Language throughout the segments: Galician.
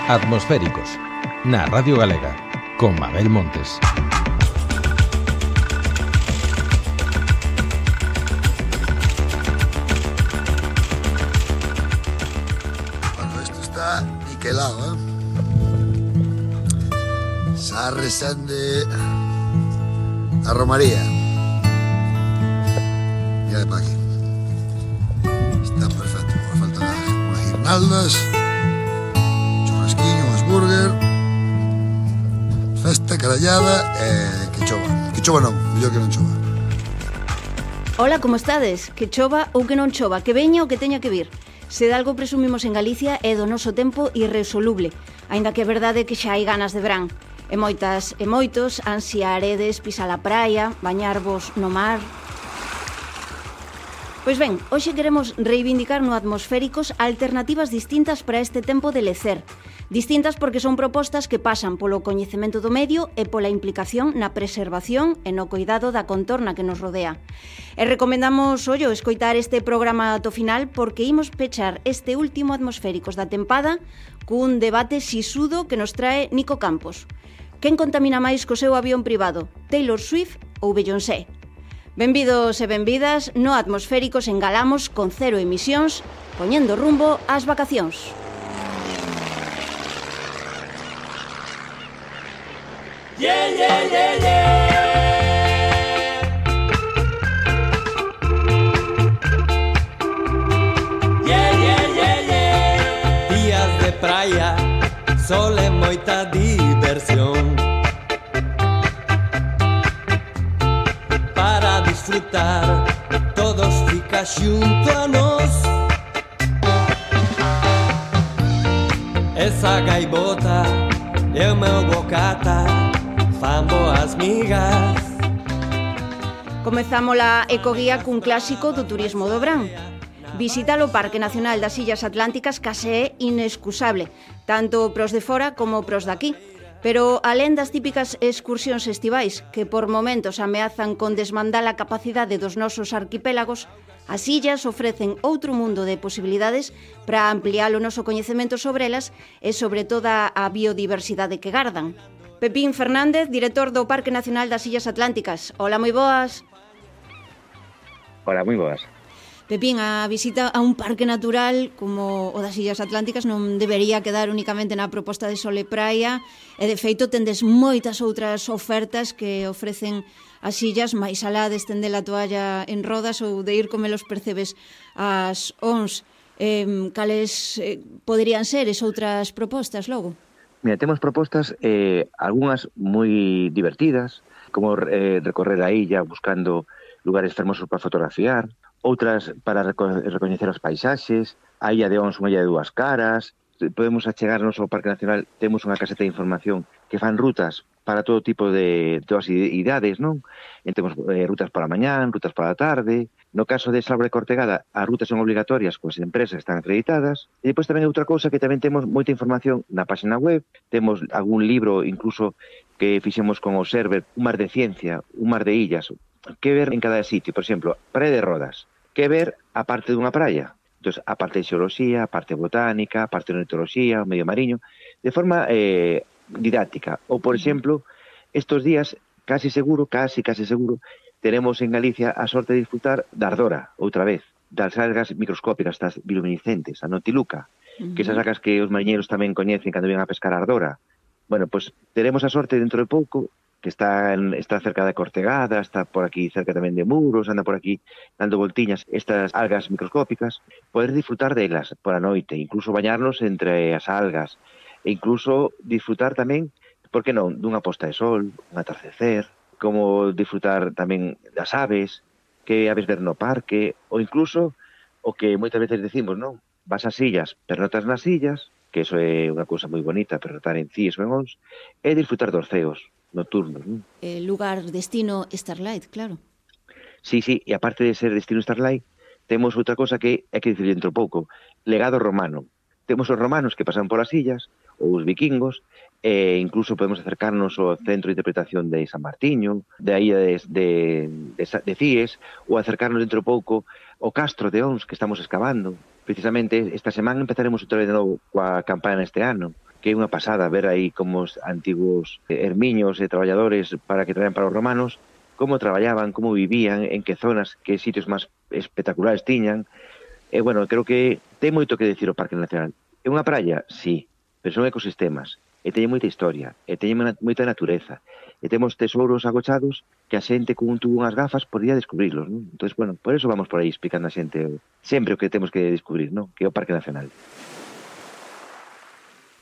Atmosféricos, na Radio Galega, con Mabel Montes. Bueno, esto está niquelado, ¿eh? Sarresende a Romaría. Ya de pa' aquí. Está perfecto. Me faltan unas guirnaldas, churrasquiño, unas burger, festa, carallada e que chova. Que chova non, mellor que non chova. Ola, como estades? Que chova ou que non chova? Que veña ou que teña que vir? Se de algo presumimos en Galicia é do noso tempo irresoluble, aínda que é verdade que xa hai ganas de verán. E moitas e moitos ansiaredes pisar a praia, bañarvos no mar. Pois ben, hoxe queremos reivindicar no Atmosféricos alternativas distintas para este tempo de lecer. Distintas porque son propostas que pasan polo coñecemento do medio e pola implicación na preservación e no cuidado da contorna que nos rodea. E recomendamos, escoitar este programa ata o final porque imos pechar este último Atmosféricos da tempada cun debate sisudo que nos trae Nico Campos. Quen contamina máis co seu avión privado, Taylor Swift ou Beyoncé? Benvidos e benvidas, no Atmosféricos engalamos con cero emisións, poñendo rumbo ás vacacións. Yeah, yeah, yeah, yeah. Yeah, yeah, yeah, yeah. Días de praia, sol e moita diversión. Para disfrutar, todos fica xunto a nós. Esa gaivota e o meu bocata fan boas migas. Comezamos a ecoguía cun clásico do turismo do verán. Visitar o Parque Nacional das Illas Atlánticas case é inexcusable, tanto pros de fora como pros daqui. Pero, alén das típicas excursións estivais, que por momentos ameazan con desmandar a capacidade dos nosos arquipélagos, as illas ofrecen outro mundo de posibilidades para ampliar o noso coñecemento sobre elas e sobre toda a biodiversidade que gardan. Pepín Fernández, director do Parque Nacional das Illas Atlánticas. Hola, moi boas. Hola, moi boas. Pepín, a visita a un parque natural como o das Illas Atlánticas non debería quedar únicamente na proposta de sol e praia, e de feito tendes moitas outras ofertas que ofrecen as illas, máis alá de estender a toalla en rodas ou de ir comer os percebes ás ons. Cales poderían ser esas outras propostas logo? Mira, temos propostas, algunhas moi divertidas, como recorrer a illa buscando lugares fermosos para fotografiar, outras para recoñecer os paisaxes, a Illa de Ons, unha illa de dúas caras. Podemos achegarnos ao Parque Nacional, temos unha caseta de información que fan rutas para todo tipo de todas idades, non? Temos rutas para a mañán, rutas para a tarde. No caso de Salbra e Cortegada, as rutas son obligatorias coas empresas que están acreditadas. E depois tamén outra cousa que tamén temos moita información na página web. Temos algún libro incluso que fixemos con o Server, un mar de ciencia, un mar de illas, que ver en cada sitio. Por exemplo, Praia de Rodas, que ver a parte dunha praia. Entón, a parte de xeoloxía, a parte botánica, a parte de ornitoloxía, o medio mariño, de forma didáctica. Ou, por exemplo, estos días, casi seguro, teremos en Galicia a sorte de disfrutar da ardora, outra vez, das algas microscópicas, das bioluminiscentes, a notiluca, que esas algas que os mariñeiros tamén coñecen cando ven a pescar a ardora. Bueno, pois teremos a sorte dentro de pouco, que está cerca da Cortegada, está por aquí cerca tamén de Muros, anda por aquí dando voltiñas estas algas microscópicas, poder disfrutar delas por a noite, incluso bañarnos entre as algas, e incluso disfrutar tamén, por que non, dunha posta de sol, un atardecer, como disfrutar tamén das aves, que aves ver no parque, ou incluso o que moitas veces decimos, non? Vas ás illas, pernotas nas illas, que iso é unha cousa moi bonita, pernotar en Cíes ou en Ons, e disfrutar dos ceos nocturnos, non? Lugar, destino Starlight, claro. Sí, e aparte de ser destino Starlight, temos outra cosa que hai que dicir dentro pouco, legado romano. Temos os romanos que pasan por as illas, ou os vikingos, e incluso podemos acercarnos ao centro de interpretación de San Martiño, da illa de Cíes, ou acercarnos dentro pouco ao castro de Ons que estamos excavando. Precisamente esta semana empezaremos outra vez de novo coa campaña este ano, que é unha pasada ver aí como os antigos ermiños e traballadores para que traían para os romanos, como traballaban, como vivían, en que zonas, que sitios máis espectaculares tiñan. E, bueno, creo que ten moito que decir o Parque Nacional. É unha praia? Sí, pero son ecosistemas, e teñen moita historia, e teñen moita natureza, e temos tesouros agochados que a xente con un tubo unhas gafas podría descubrirlos, non? Entón, bueno, por eso vamos por aí explicando a xente sempre o que temos que descubrir, non? Que é o Parque Nacional.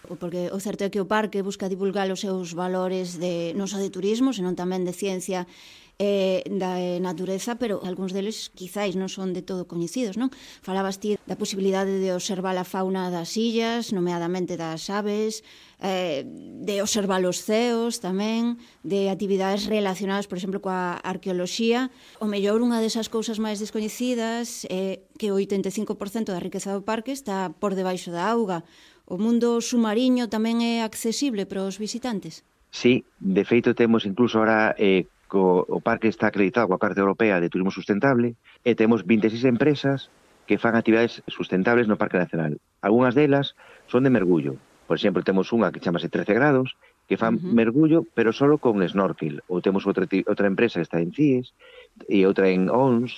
Porque o certo é que o parque busca divulgar os seus valores non só de turismo, senón tamén de ciencia da natureza, pero algúns deles quizáis non son de todo coñecidos, non? Falabas ti da posibilidade de observar a fauna das illas, nomeadamente das aves, de observar os ceos tamén, de actividades relacionadas, por exemplo, coa arqueoloxía. O mellor, unha desas cousas máis descoñecidas é que o 85% da riqueza do parque está por debaixo da auga. O mundo submarino tamén é accesible para os visitantes? Sí, de feito temos incluso ahora o parque está acreditado coa Carta Europea de Turismo Sustentable e temos 26 empresas que fan actividades sustentables no Parque Nacional. Algúnas delas son de mergullo. Por exemplo, temos unha que chamase 13 grados, que fan mergullo, pero solo con snorkel. Ou temos outra empresa que está en CIES, e outra en ONS,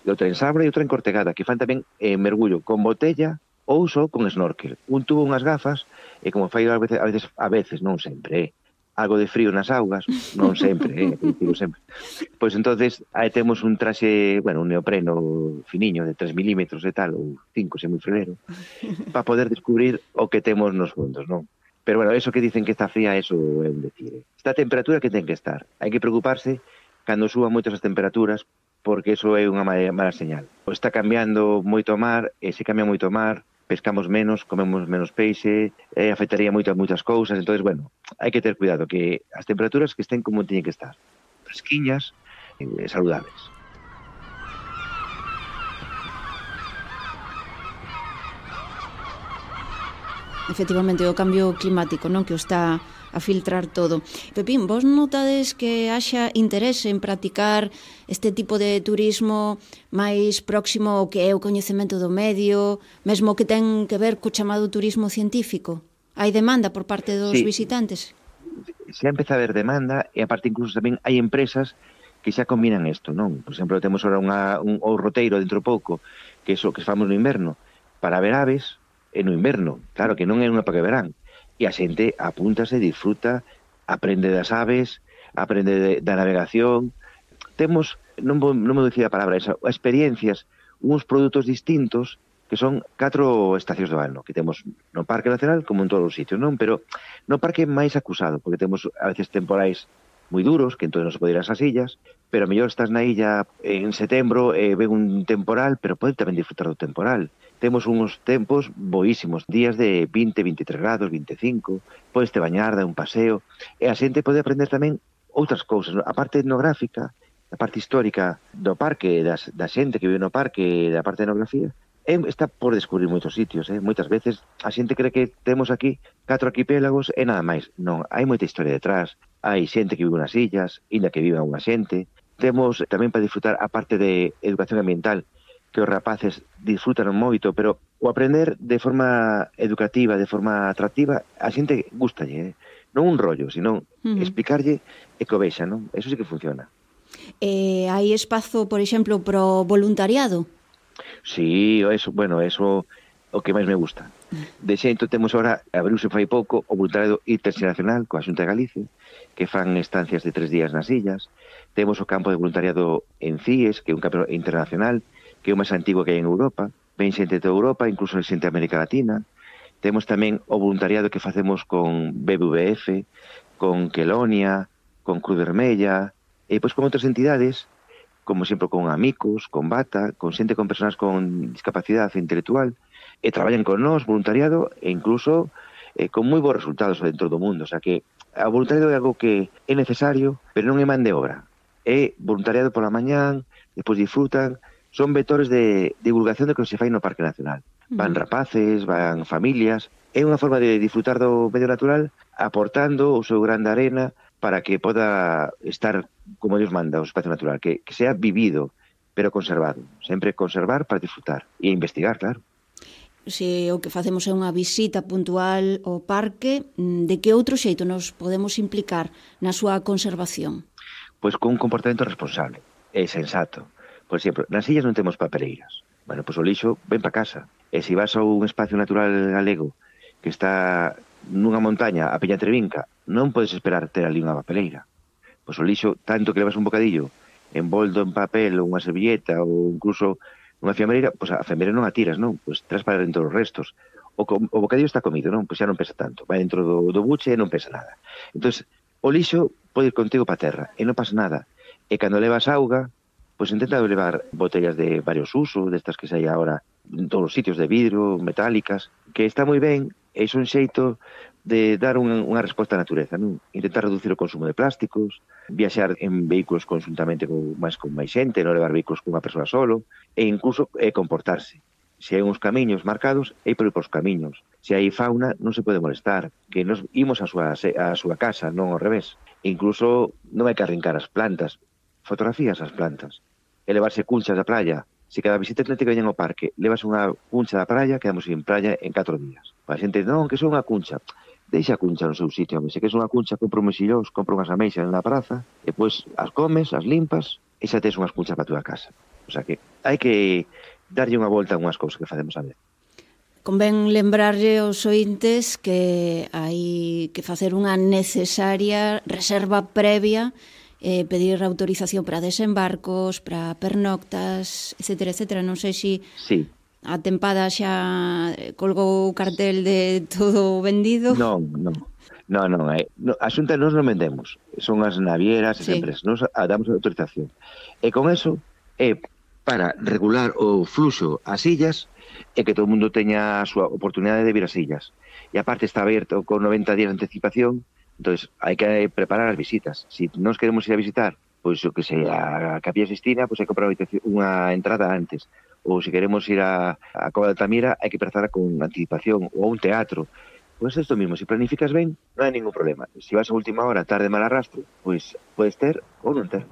e outra en Sabra, e outra en Cortegada, que fan tamén mergullo con botella ou só con snorkel. Un tubo, unhas gafas, e como fai a veces, non sempre, algo de frío nas augas, non sempre, sempre. Pois entonces aí temos un traxe, bueno, un neopreno finiño de 3 milímetros e tal, ou 5, se moi frilero, para poder descubrir o que temos nos fondos, non? Pero bueno, eso que dicen que está fría, eso é un decir. Está a temperatura que ten que estar. Hai que preocuparse cando suban moito as temperaturas, porque eso é unha mala señal. O está cambiando moito o mar, e se cambia moito o mar, pescamos menos, comemos menos peixe, afectaría moito a moitas cousas. Entonces, bueno, hai que ter cuidado, que as temperaturas que estén como teñen que estar, fresquiñas e saludables. Efectivamente, o cambio climático, non, que o está a filtrar todo. Pepín, vos notades que haxa interese en practicar este tipo de turismo máis próximo ao que é o coñecemento do medio, mesmo que ten que ver co chamado turismo científico? Hai demanda por parte dos visitantes? Se empeza a haber demanda, e aparte incluso tamén hai empresas que xa combinan isto, non? Por exemplo, temos ahora un roteiro dentro pouco, que é o que famos no inverno, para ver aves no inverno. Claro que non é unha época de verán. E a xente apúntase, disfruta, aprende das aves, aprende da navegación. Temos, non me dicir a palabra esa, experiencias, uns produtos distintos que son 4 estacións do ano, que temos no Parque Nacional como en todos os sitios, non? Pero no parque máis acusado, porque temos a veces temporais moi duros, que entón non se pode ir ás illas, pero a mellor estás na illa en setembro e ven un temporal, pero pode tamén disfrutar do temporal. Temos uns tempos boísimos, días de 20, 23 grados, 25, podes te bañar, dar un paseo, e a xente pode aprender tamén outras cousas, a parte etnográfica, a parte histórica do parque, da xente que vive no parque, da parte de etnografía, está por descubrir moitos sitios, moitas veces a xente cree que temos aquí 4 arquipélagos e nada máis. Non, hai moita historia detrás, hai xente que vive nas illas, inda que vive unha xente. Temos tamén para disfrutar a parte de educación ambiental, que os rapaces disfrutan moito, pero o aprender de forma educativa, de forma atractiva, a xente gustalle, non un rollo, sino explicarlle e que o vexa, non? Eso sí que funciona. Hai espazo, por exemplo, pro voluntariado? Sí, eso o que máis me gusta. De xeito temos ahora, abriuse fai pouco, o voluntariado internacional coa Xunta de Galicia, que fan estancias de 3 días nas illas. Temos o campo de voluntariado en CIES, que é un campo internacional, que é o máis antigo que hai en Europa. Ven xente de toda Europa, incluso xente de América Latina. Temos tamén o voluntariado que facemos con BBVF, con Quelonia, con Cruz Vermella, e pois con outras entidades, como sempre con Amicus, con Bata, con xente con persoas con discapacidade intelectual, e traballan con nós, voluntariado, e incluso con moi bons resultados dentro do mundo. O sea que o voluntariado é algo que é necesario, pero non é man de obra. É voluntariado pola mañán, despois disfrutan, son vectores de divulgación do que se fai no Parque Nacional. Van rapaces, van familias, é unha forma de disfrutar do medio natural, aportando o seu gran de arena para que poda estar como Dios manda o espacio natural, que sea vivido, pero conservado. Sempre conservar para disfrutar e investigar, claro. se o que facemos é unha visita puntual ao parque, de que outro xeito nos podemos implicar na súa conservación? Pois con un comportamento responsable e sensato. Por exemplo, nas illas non temos papeleiras. Bueno, pois o lixo ven para casa. E se vas a un espacio natural galego que está nunha montaña a Peña Trevinca, non podes esperar ter ali unha papeleira. Pois o lixo, tanto que levas un bocadillo envolto en papel ou unha servilleta ou incluso unha fiambreira, pois a fiambreira non a tiras, non? Pois tras para dentro os restos. O bocadillo está comido, non? Pois xa non pesa tanto. Vai dentro do buche e non pesa nada. Entón, o lixo pode ir contigo para a terra e non pasa nada. E cando levas auga, pois intenta levar botellas de varios usos, destas que sai agora en todos os sitios de vidro, metálicas, que está moi ben, e iso é un xeito de dar unha resposta á natureza, non? Intentar reducir o consumo de plásticos, viaxar en vehículos conjuntamente con máis xente, non levar vehículos con unha persoa solo, e incluso comportarse. Se hai uns camiños marcados, hai por ir por os camiños. Se hai fauna, non se pode molestar, que nos imos á súa casa, non ao revés. E incluso non hai que arrincar as plantas, fotografías as plantas, e levarse cunchas da playa. Se cada visitante que veñen ao parque levas unha cuncha da praia, quedamos en praia en 4 días. A xente, non, que son unha cuncha. Deixa a cuncha no seu sitio, se que é unha cuncha, compra un mexillós, compra unhas ameixas na praza, e depois as comes, as limpas, e xa tes unhas cunchas para a túa casa. O sea que hai que darlle unha volta a unhas cousas que facemos a ver. Convén lembrarlle aos ointes que hai que facer unha necesaria reserva previa, pedir autorización para desembarcos, para pernoctas, etcétera, etcétera. Non sei se sí. A tempada xa colgou o cartel de todo vendido. Non. A xunta nos non vendemos. Son as navieras, as empresas. Nos damos a autorización. E con eso é para regular o fluxo ás illas e que todo o mundo teña a súa oportunidade de vir ás illas. E aparte está aberto con 90 días de anticipación, entonces hai que preparar as visitas. Se nos queremos ir a visitar, pois o que sea a Capilla Sistina, pois hai que comprar unha entrada antes. Ou se queremos ir a Cova de Altamira, hai que empezar con anticipación, ou a un teatro. Pois isto mismo, se planificas ben, non hai ningún problema. Se vas a última hora, tarde, mal arrastro, pois podes ter ou non ter.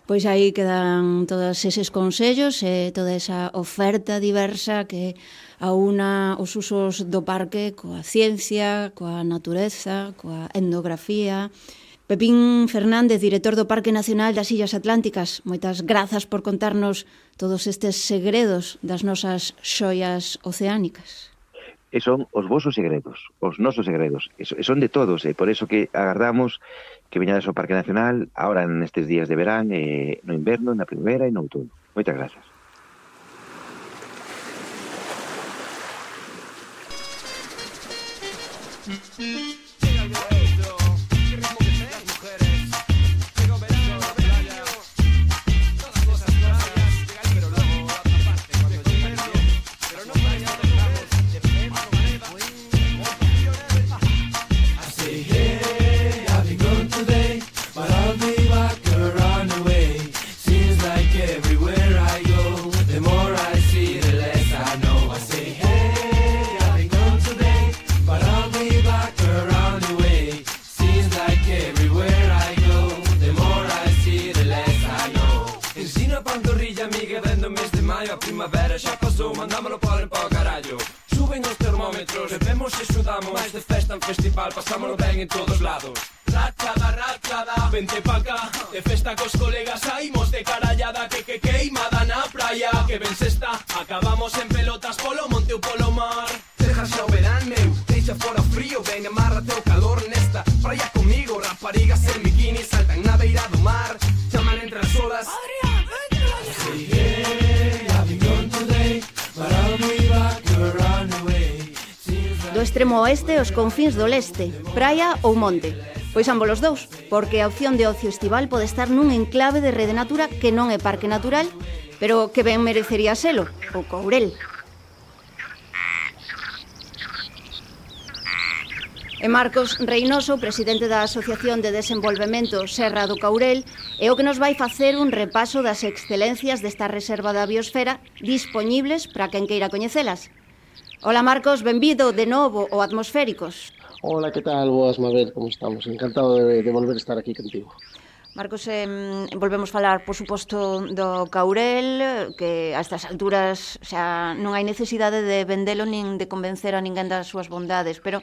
Pois aí quedan todos eses consellos e toda esa oferta diversa que aúna os usos do parque coa ciencia, coa natureza, coa etnografía. Pepín Fernández, director do Parque Nacional das Illas Atlánticas, moitas grazas por contarnos todos estes segredos das nosas xoias oceánicas. E son os vosos segredos, os nosos segredos, e son de todos, e por eso que agardamos que veñades ao Parque Nacional ahora nestes días de verán, no inverno, na primavera e no outono. Moitas grazas. Primavera xa pasou, mandámoslo por en pau carallo. Suben os termómetros, bebemos e sudamos. Mais de festa en festival, pasámoslo ben en todos lados. Rachada, vente pa cá. De festa cos colegas saímos de carallada. Que queimada na praia. Que ben se está, acabamos en pelotas polo monte ou polo mar. Deja xa o verán, meu, deixa fora o frío. Ven, amárrate o calor nesta praia comigo. Raparigas en bikini saltan na beira do mar. Chaman entre as olas Adrián, vente la do extremo oeste aos confíns do leste, praia ou monte. Pois ambos os dous, porque a opción de ocio estival pode estar nun enclave de Rede Natura que non é parque natural, pero que ben merecería selo, o Courel. E Marcos Reynoso, presidente da Asociación de Desenvolvemento Serra do Courel, é o que nos vai facer un repaso das excelencias desta reserva da biosfera dispoñibles para quen queira coñecelas. Ola Marcos, benvido de novo ao Atmosféricos. Hola, ¿qué tal? Boas, Mabel, como estamos? Encantado de volver a estar aquí contigo. Marcos, volvemos falar, por suposto, do Caurel, que a estas alturas xa non hai necesidade de vendelo nin de convencer a ninguén das súas bondades, pero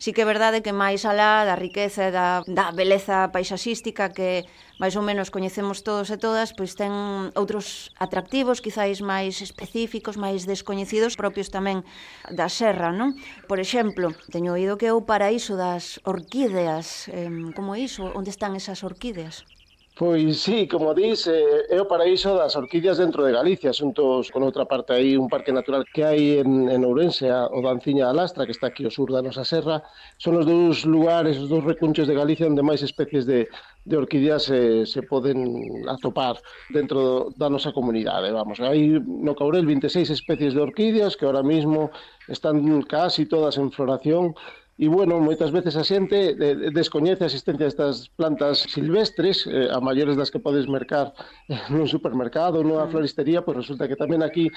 sí que é verdade que máis alá da riqueza e da beleza paisaxística que máis ou menos coñecemos todos e todas, pois ten outros atractivos, quizáis máis específicos, máis descoñecidos, propios tamén da serra, non? Por exemplo, teño oído que é o paraíso das orquídeas. Como é iso? Onde están esas orquídeas? Pois sí, como dis, é o paraíso das orquídeas dentro de Galicia, xuntos con outra parte aí, un parque natural que hai en Ourense, o da Anciña da Lastra, que está aquí ao sur da nosa serra. Son os dous lugares, os dous recunchos de Galicia onde máis especies de orquídeas se poden atopar dentro da nosa comunidade. Vamos, hai no Caurel 26 especies de orquídeas que ahora mismo están casi todas en floración. E, bueno, moitas veces a xente descoñece a existencia destas plantas silvestres, a maiores das que podes mercar nun supermercado ou nunha floristería, pois resulta que tamén aquí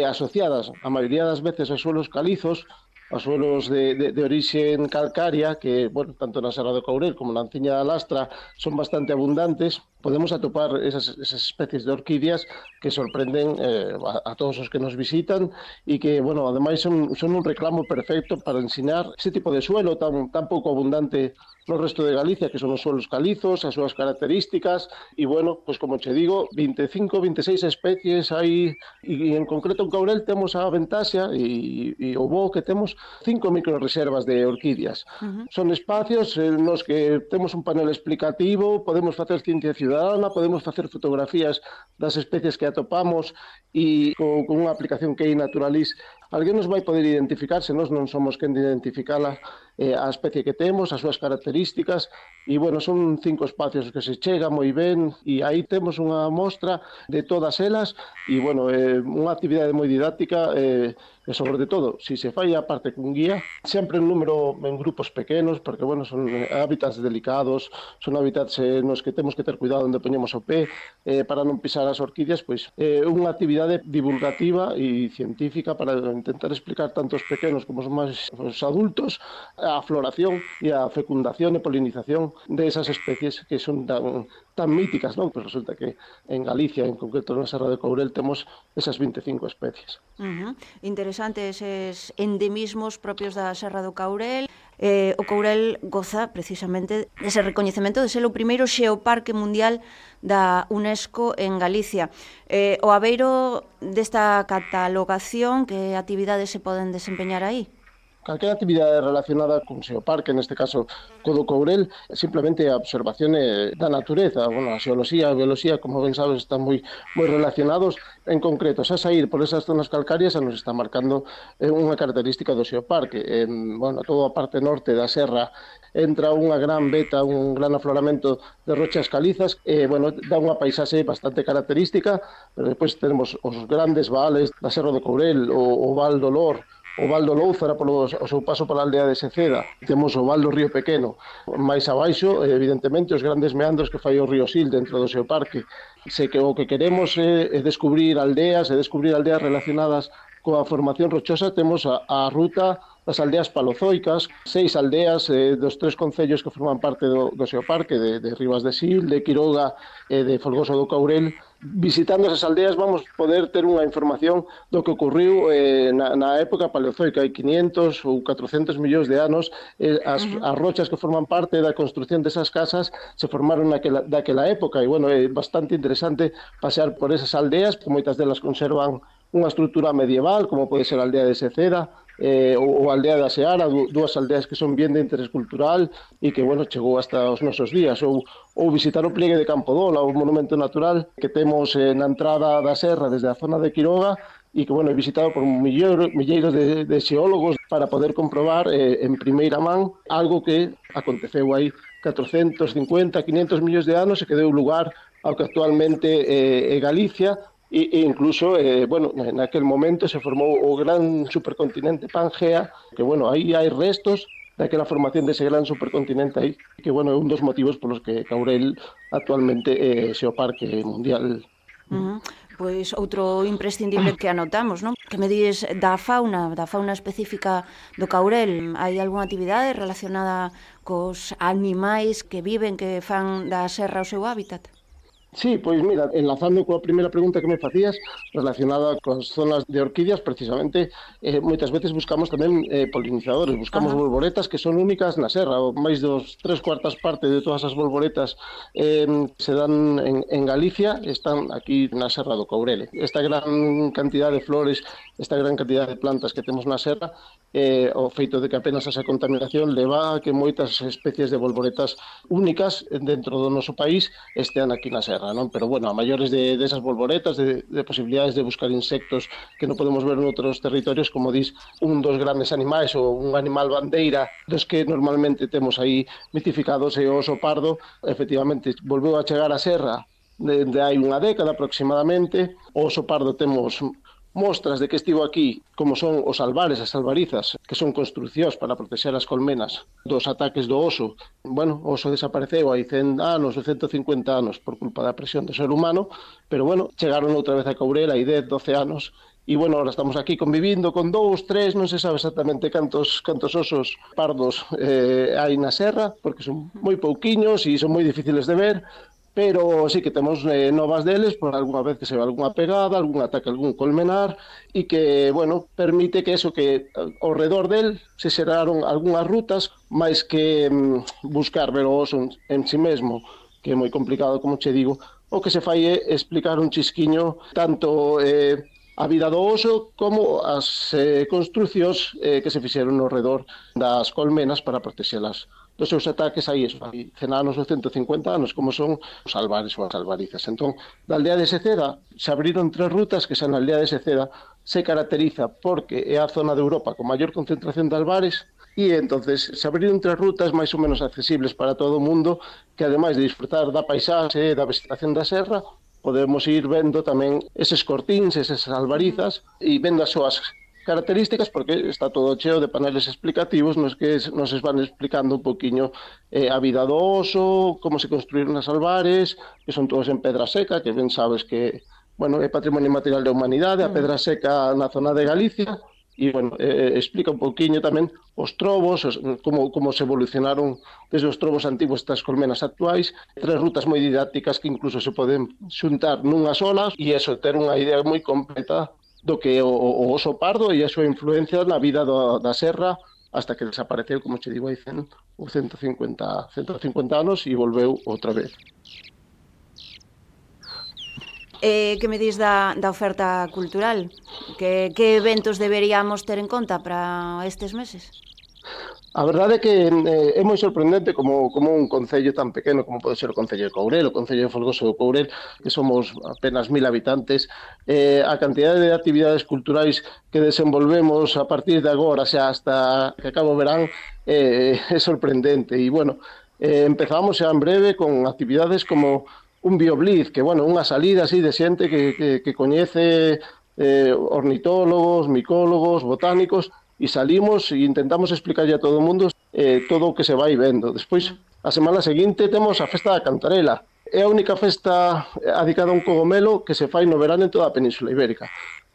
asociadas a maioría das veces aos suelos calizos, aos suelos de orixen calcaria, que, bueno, tanto na Serra do Caurel como na Anciña da Lastra son bastante abundantes, podemos atopar esas especies de orquídeas que sorprenden a todos os que nos visitan e que, bueno, ademais son un reclamo perfecto para ensinar ese tipo de suelo tan pouco abundante no resto de Galicia, que son os suelos calizos, as súas características, e, bueno, pues como che digo, 25, 26 especies hai, e en concreto en Caurel temos a ventaxa e o bo que temos 5 microreservas de orquídeas. Son espacios nos que temos un panel explicativo, podemos facer ciencia ciudadana, podemos facer fotografías das especies que atopamos e con unha aplicación que é Naturalis, alguén nos vai poder identificar, se nós non somos quen de identificala, a especie que temos, as súas características, e, bueno, son 5 espacios que se chega moi ben, e aí temos unha mostra de todas elas, e, bueno, unha actividade moi didáctica, e sobre todo, se se fai a parte cun guía, sempre en número en grupos pequenos, porque, bueno, son hábitats delicados, son hábitats nos que temos que ter cuidado onde poñemos o pé, para non pisar as orquídeas, pois unha actividade divulgativa e científica para intentar explicar tanto os pequenos como os adultos a floración e a fecundación e polinización de esas especies que son tan míticas, non? Pues resulta que en Galicia, en concreto na Serra de Caurel, temos esas 25 especies. Interesante eses endemismos propios da Serra do Caurel. O Caurel goza precisamente dese recoñecemento de ser o primeiro xeoparque mundial da UNESCO en Galicia. O abeiro desta catalogación, que actividades se poden desempeñar aí? Calquera actividade relacionada con xeoparque, neste caso co do Caurel, simplemente a observación da natureza. Bueno, a xeoloxía e a bioloxía, como ben sabes, están moi relacionados. En concreto, xa sair por esas zonas calcarias nos está marcando unha característica do xeoparque. Bueno, toda a parte norte da serra entra unha gran veta, un gran afloramento de rochas calizas, bueno, dá unha paisaxe bastante característica, pero depois tenemos os grandes vales da Serra do Caurel, o Val do Lor, o Val do Louzara polo o seu paso pola aldea de Seceda, temos o Val do Río Pequeno, máis abaixo, evidentemente, os grandes meandros que fai o río Sil dentro do seu parque. O que queremos é descubrir aldeas relacionadas coa formación rochosa. Temos a ruta das aldeas palozoicas, 6 aldeas dos 3 concellos que forman parte do seu parque, de Ribas de Sil, de Quiroga e de Folgoso do Caurel. Visitando esas aldeas vamos poder ter unha información do que ocurriu na época paleozoica, hai 500 ou 400 millóns de anos. As rochas que forman parte da construción desas casas se formaron daquela época, e, bueno, é bastante interesante pasear por esas aldeas, que moitas delas conservan unha estrutura medieval, como pode ser a aldea de Seceda, ou a aldea da Seara, dúas aldeas que son bien de interés cultural e que, bueno, chegou hasta os nosos días, ou visitar o pliegue de Campodola, o monumento natural que temos na entrada da serra desde a zona de Quiroga, e que, bueno, é visitado por milleiros de xeólogos para poder comprobar en primeira man algo que aconteceu aí 450, 500 millóns de anos e que deu lugar ao que actualmente é Galicia. E incluso, bueno, naquel momento se formou o gran supercontinente Pangea, que, bueno, aí hai restos daquela formación dese gran supercontinente aí, que, bueno, é un dos motivos polos que Caurel actualmente é xeoparque mundial. Pois outro imprescindible que anotamos, non? Que me dices da fauna específica do Courel. Hai algunha actividade relacionada cos animais que viven, que fan da serra o seu hábitat? Sí, pois mira, enlazando coa primeira pregunta que me facías relacionada coas zonas de orquídeas, precisamente moitas veces buscamos tamén polinizadores, buscamos bolboretas que son únicas na serra, o máis dos 3/4 parte de todas as bolboretas se dan en Galicia, están aquí na serra do Courel. Esta gran cantidad de flores, esta gran cantidad de plantas que temos na serra, o feito de que apenas esa contaminación leva a que moitas especies de bolboretas únicas dentro do noso país estean aquí na serra. Non? Pero bueno, a maiores de esas bolboretas, de posibilidades de buscar insectos que non podemos ver en outros territorios, como dis, un dos grandes animais ou un animal bandeira dos que normalmente temos aí mitificados é o oso pardo. Efectivamente, volveu a chegar a serra de hai unha década aproximadamente. O oso pardo temos mostras de que estivo aquí, como son os albares, as albarizas, que son construcións para proteger as colmenas dos ataques do oso. Bueno, o oso desapareceu hai 100 anos ou 150 anos por culpa da presión do ser humano, pero bueno, chegaron outra vez a Courel hai 10, 12 anos, e bueno, ahora estamos aquí convivindo con 2, 3, non se sabe exactamente cantos osos pardos hai na serra, porque son moi pouquiños e son moi difíciles de ver, pero sí que temos novas deles por algunha vez que se ve algunha pegada, algún ataque, algún colmenar, e que, bueno, permite que eso, que ao redor del se xeraron algunhas rutas, máis que buscar ver o oso en si mesmo, que é moi complicado, como che digo, o que se fai é explicar un chisquiño tanto a vida do oso como as construcións que se fixeron ao redor das colmenas para protexelas dos seus ataques aí, hai 100 anos ou 150 anos, como son os albares ou as albarizas. Entón, da aldea de Seceda se abriron 3 rutas que xa na aldea de Seceda se caracteriza porque é a zona de Europa con maior concentración de albares, e entonces se abriron 3 rutas máis ou menos accesibles para todo o mundo, que ademais de disfrutar da paisaxe e da vegetación da serra, podemos ir vendo tamén eses cortíns, esas albarizas, e vendo as súas características, porque está todo cheo de paneles explicativos nos que nos van explicando un poquinho a vida do oso, como se construíron as albares, que son todos en pedra seca, que ben sabes que, bueno, é patrimonio material da humanidade, a pedra seca na zona de Galicia, e, bueno, explica un poquinho tamén os trobos, como se evolucionaron desde os trobos antigos estas colmenas actuais, 3 rutas moi didácticas que incluso se poden xuntar nunha sola, e eso, ter unha idea moi completa do que o oso pardo e a súa influencia na vida da serra hasta que desapareceu, como che digo, hai 100 ou 150 anos e volveu outra vez. Que me dis da oferta cultural? Que eventos deberíamos ter en conta para estes meses? A verdade é que é moi sorprendente como un concello tan pequeno como pode ser o Concello de Courel, o Concello de Folgoso de Courel, que somos apenas 1000 habitantes, a cantidade de actividades culturais que desenvolvemos a partir de agora, xa hasta que acaba o verán, é sorprendente. E, bueno, empezamos xa en breve con actividades como un bioblitz, que, bueno, unha salida así de xente que coñece ornitólogos, micólogos, botánicos, e salimos e intentamos explicarlle a todo o mundo todo o que se vai vendo. Despois, a semana seguinte, temos a Festa da Cantarela. É a única festa adicada a un cogomelo que se fai no verán en toda a Península Ibérica.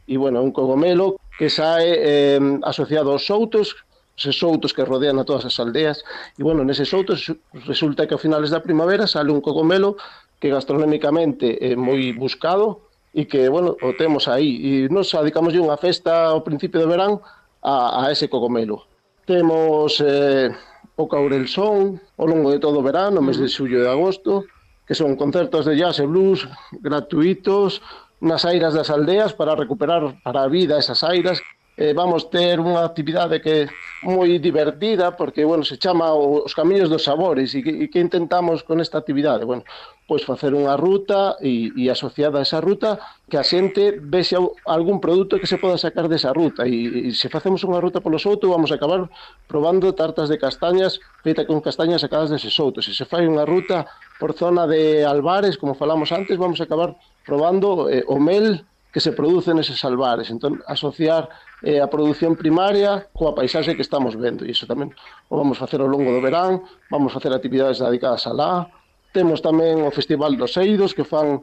E, bueno, un cogomelo que sae asociado aos soutos, eses soutos que rodean a todas as aldeas. E, bueno, neses soutos resulta que a finales da primavera sale un cogomelo que gastronómicamente é moi buscado e que, bueno, o temos aí. E nos adicamos unha festa ao principio do verán a ese cogomelo. Temos o Courel Son ao longo de todo o verán, no mes de xullo e de agosto, que son concertos de jazz e blues gratuitos nas airas das aldeas para recuperar para a vida esas airas. Vamos ter unha actividade que é moi divertida porque, bueno, se chama os Camiños dos Sabores e que intentamos con esta actividade? Bueno, pois facer unha ruta e asociada a esa ruta que a xente vexe algún produto que se poda sacar desa ruta e se facemos unha ruta polo souto vamos a acabar probando tartas de castañas feita con castañas sacadas dese souto. Se fai unha ruta por zona de albares, como falamos antes, vamos a acabar probando o mel que se produce neses albares. Entón, asociar a produción primaria coa paisaxe que estamos vendo. E iso tamén o vamos facer ao longo do verán, vamos facer actividades dedicadas alá. Temos tamén o Festival dos Eidos, que fan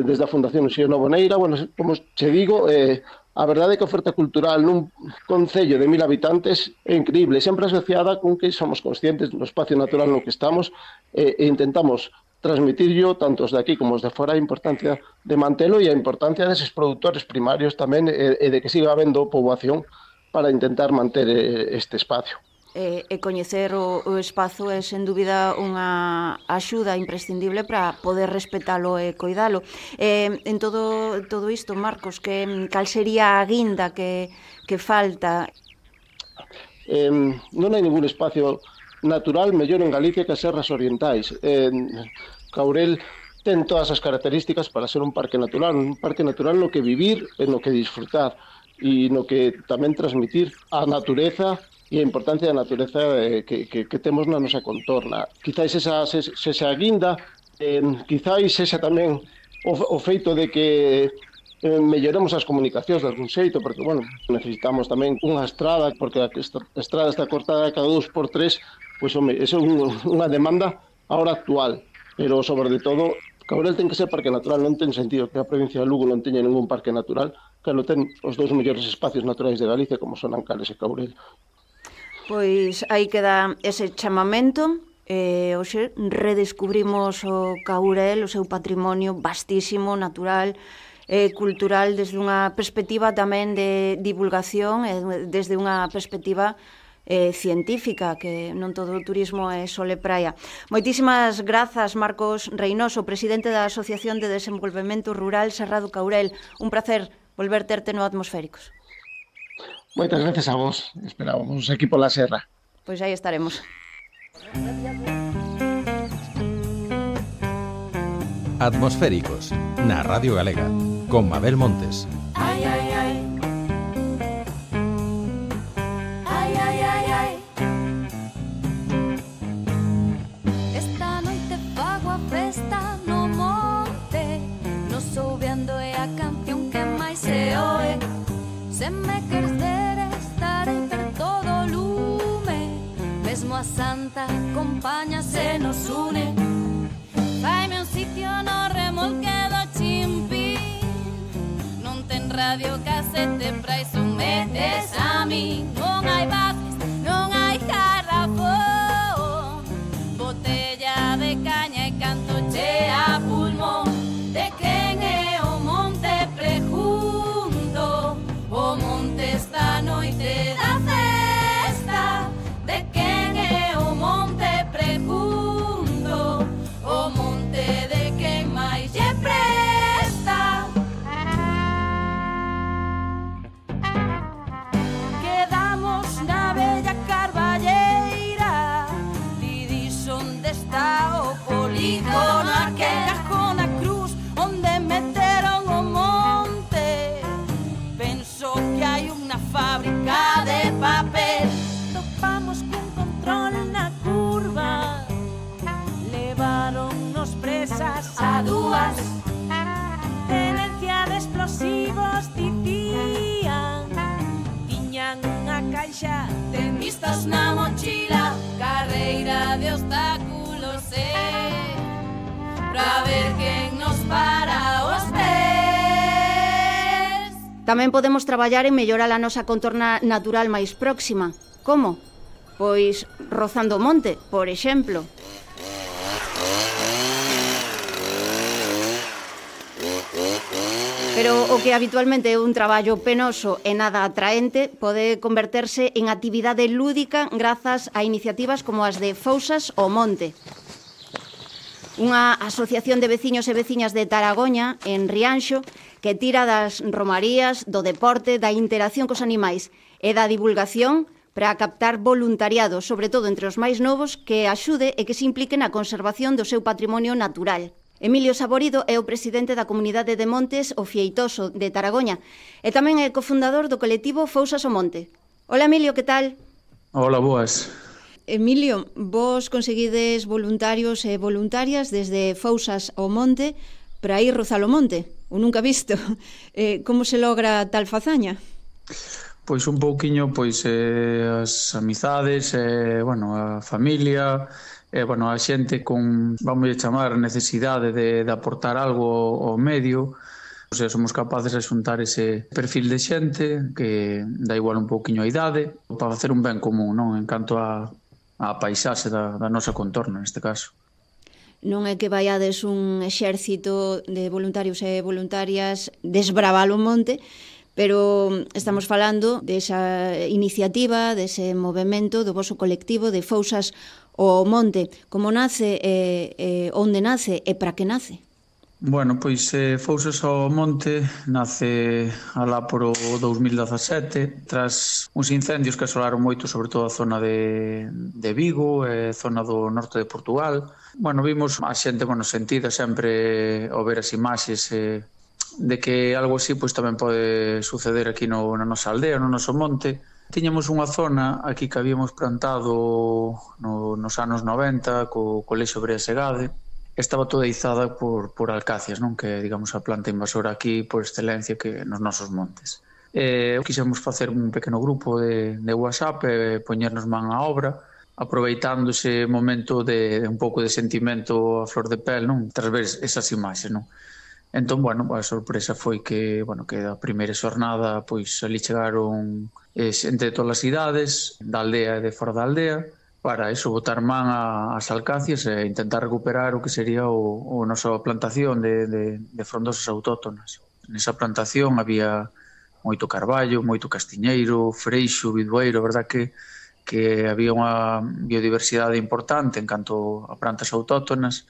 desde a Fundación Xeo Novoneira. Bueno, como che digo, a verdade é que a oferta cultural nun concello de 1000 habitantes é increíble, sempre asociada con que somos conscientes do espacio natural no que estamos e intentamos transmitirlo, tanto os de aquí como os de fora, a importancia de mantelo e a importancia deses produtores primarios tamén e de que siga habendo poboación para intentar manter este espacio. E coñecer o espazo é, sen dúbida, unha axuda imprescindible para poder respetalo e coidalo. En todo isto, Marcos, cal sería a guinda que falta? Non hai ningún espacio natural mellor en Galicia que as Serras Orientais. Caurel ten todas as características para ser un parque natural no que vivir e no que disfrutar e no que tamén transmitir a natureza e a importancia da natureza que temos na nosa contorna. Quizáis esa guinda, quizáis esa tamén o feito de que melloremos as comunicacións de algún xeito, porque, bueno, necesitamos tamén unha estrada, porque a estrada está cortada cada 2x3, pois, home, eso é unha demanda ahora actual, pero, sobre de todo, Caurel ten que ser parque natural, non ten sentido que a provincia de Lugo non teña ningún parque natural, que non ten os dous mellores espacios naturais de Galicia, como son Ancales e Caurel. Pois aí queda ese chamamento. Hoxe redescubrimos o Caurel, o seu patrimonio vastísimo, natural, cultural, desde unha perspectiva tamén de divulgación, desde unha perspectiva científica, que non todo o turismo é sole praia. Moitísimas grazas, Marcos Reynoso, presidente da Asociación de Desenvolvemento Rural Serra do Caurel. Un placer volver terte no Atmosféricos. Moitas gracias a vos. Esperábamos aquí pola serra. Pois aí estaremos. Atmosféricos, na Radio Galega, con Mabel Montes. Ai, ai, ai. Ai, ai, ai, ai. Esta noite fago a festa no monte, no soubeando é a canción que máis se oe. Se me queres ver estarei per todo lume, mesmo a Santa compaña se nos une. Faime un sitio no remolque do Chimpín, non ten radio casete pra iso metes a mí. Non hai bajes, non hai garrafón, botella de caña e canto che a pulmón. De quen é o monte pregunto, o monte esta noite da festa. De quen é o monte pregunto, o monte de quen máis lle presta. Quedamos na bella carballeira, didis onde está o polígono, aquel cajón a cruz onde meteron o monte. Penso que hai unha fábrica de papel. Topamos cun control na curva, levaronnos presas a dúas. Tenencia de explosivos dicían, tiñan unha caixa de mistos na mochila, carreira de obstáculos pra ver quen nos para os pés. Tamén podemos traballar en mellorar a nosa contorna natural máis próxima. Como? Pois rozando o monte, por exemplo. Pero o que habitualmente é un traballo penoso e nada atraente pode converterse en actividade lúdica grazas a iniciativas como as de Fousas ao Monte. Unha asociación de veciños e veciñas de Taragoña, en Rianxo, que tira das romarías, do deporte, da interacción cos animais e da divulgación para captar voluntariado, sobre todo entre os máis novos, que axude e que se implique na conservación do seu patrimonio natural. Emilio Saborido é o presidente da Comunidade de Montes O Fieitoso de Taragoña e tamén é cofundador do colectivo Fousas ao Monte. Hola, Emilio, que tal? Hola, boas. Emilio, vos conseguides voluntarios e voluntarias desde Fousas ao Monte para ir rozar o monte, o nunca visto. Como se logra tal fazaña? Pois un pouquiño, as amizades, bueno, a familia, Bueno, a xente con, vamos a chamar, necesidade de aportar algo ao medio, o sea, somos capaces de xuntar ese perfil de xente que dá igual un pouquiño a idade para facer un ben común, non? En canto a paisaxe da nosa contorno, neste caso. Non é que vaiades un exército de voluntarios e voluntarias desbravar o monte, pero estamos falando desa iniciativa, dese movemento do voso colectivo de Fousas ao Monte. Como nace, onde nace e para que nace? Bueno, pois Fousas ao Monte nace alá por o 2017 tras uns incendios que asolaron moito, sobre todo a zona de Vigo e zona do norte de Portugal. Bueno, vimos a xente sentida sempre ao ver as imaxes de que algo así pois tamén pode suceder aquí na nosa aldea, no noso monte. Tiñamos unha zona aquí que habíamos plantado nos anos 90 co Colexio Brea Segade. Estaba toda izada por alcacias, non? Que digamos a planta invasora aquí por excelencia que nos nosos montes. Quixemos facer un pequeno grupo de WhatsApp e poñernos man á obra, aproveitando ese momento de un pouco de sentimento a flor de pel, non? Tras ver esas imaxes, non? Entón, bueno, a sorpresa foi que a primeira xornada, pois ali chegaron xente de todas as idades, da aldea e de fora da aldea, para eso, botar man ás alcacias e intentar recuperar o que sería o nosa plantación de frondosas autóctonas. Nesa plantación había moito carballo, moito castiñeiro, freixo, bidueiro, verdad que había unha biodiversidade importante en canto a plantas autóctonas.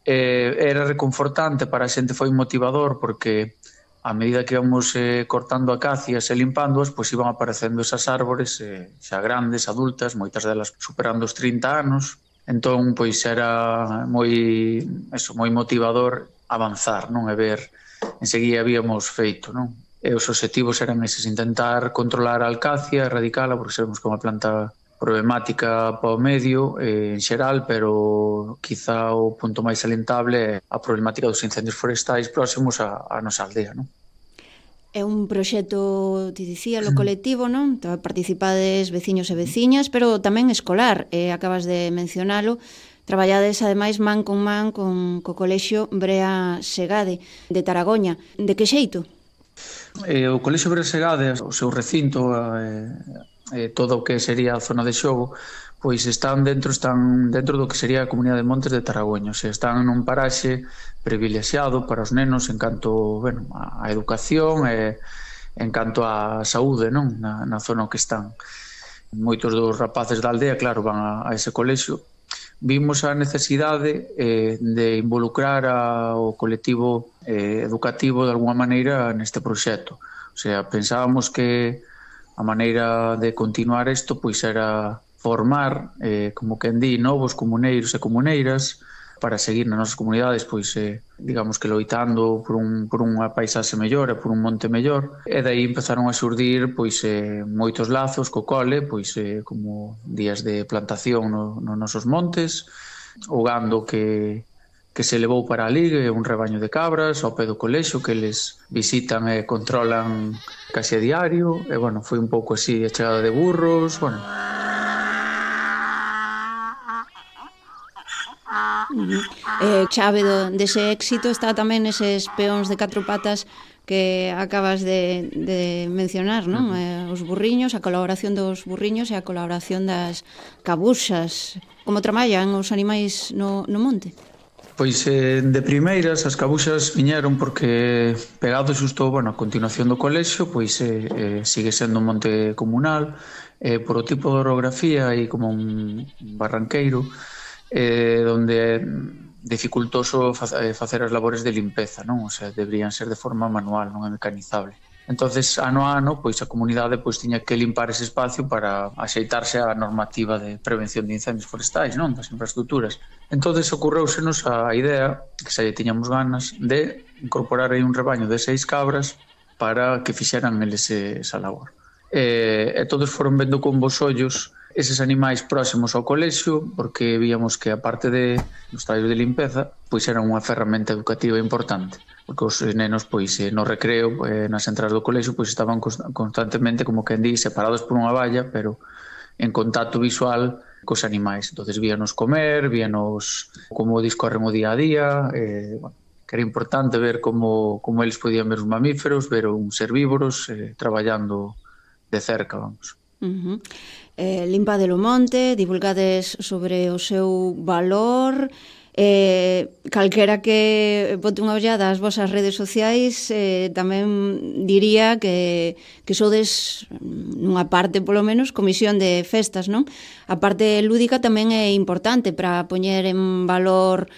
Era reconfortante para a xente, foi motivador porque a medida que íbamos cortando acacias e limpándoas, pois iban aparecendo esas árbores xa grandes, adultas, moitas delas superando os 30 anos. Entón, pois era moi motivador avanzar, non? E ver, enseguida habíamos feito, non? E os obxectivos eran eses, intentar controlar a alcacia, erradicala, porque sabemos que é unha planta problemática para o medio en xeral, pero quizá o punto máis salientable é a problemática dos incendios forestais próximos á nosa aldea, non? É un proxecto, te dicía, lo colectivo, non? Participades veciños e veciñas, pero tamén escolar, acabas de mencionalo. Traballades, ademais, man co Colexio Brea Segade de Taragoña. De que xeito? O Colexio Brea Segade, o seu recinto, todo o que sería a zona de xogo, pois están dentro do que sería a Comunidade de Montes de Taragoña, o sea, están nun paraxe privilexiado para os nenos en canto, a educación e en canto a saúde, non? Na zona que están. Moitos dos rapaces da aldea, claro, van a ese colexio. Vimos a necesidade de involucrar ao colectivo educativo de alguma maneira neste proxecto. O sea, pensábamos que a maneira de continuar isto pois era formar, como quen di, novos comuneiros e comuneiras para seguir nas nosas comunidades, pois, digamos que loitando por unha paisaxe mellor e por un monte mellor. E daí empezaron a xurdir pois, moitos lazos co cole, pois, como días de plantación nos nosos montes, o gando que se levou para ali, un rebaño de cabras ao pé do colexio que eles visitan e controlan case a diario, e, bueno, foi un pouco así a chegada de burros, bueno. Chave dese éxito está tamén eses peóns de 4 patas que acabas de mencionar, non? Os burriños, a colaboración dos burriños e a colaboración das cabuxas. Como traballan os animais no monte? Pois de primeiras as cabuxas viñeron porque pegado xusto, a continuación do colexio, pois sigue sendo un monte comunal, por o tipo de orografía e como un barranqueiro, donde é dificultoso facer as labores de limpeza, non? O sea, deberían ser de forma manual, non é mecanizable. Entonces, ano a ano, pois a comunidade tiña que limpar ese espacio para axeitarse á normativa de prevención de incendios forestais, non? Das infraestructuras. Entonces, ocorreusenos a idea, que xa tiñamos ganas, de incorporar aí un rebaño de 6 cabras para que fixeran eles esa labor. E todos foron vendo con bons ollos eses animais próximos ao colexio, porque víamos que, aparte dos traballos de limpeza, pois era unha ferramenta educativa importante, porque os nenos, pois, no recreo, nas entradas do colexio, pois estaban constantemente, como quen di, separados por unha valla, pero en contacto visual cos animais. Entonces víanos comer, víanos como discorren o día a día, bueno, que era importante ver como eles podían ver os mamíferos, ver uns herbívoros traballando de cerca, vamos. Limpade o monte, divulgades sobre o seu valor, calquera que bote unha ollada ás vosas redes sociais tamén diría que sodes nunha parte polo menos comisión de festas, non? A parte lúdica tamén é importante para poñer en valor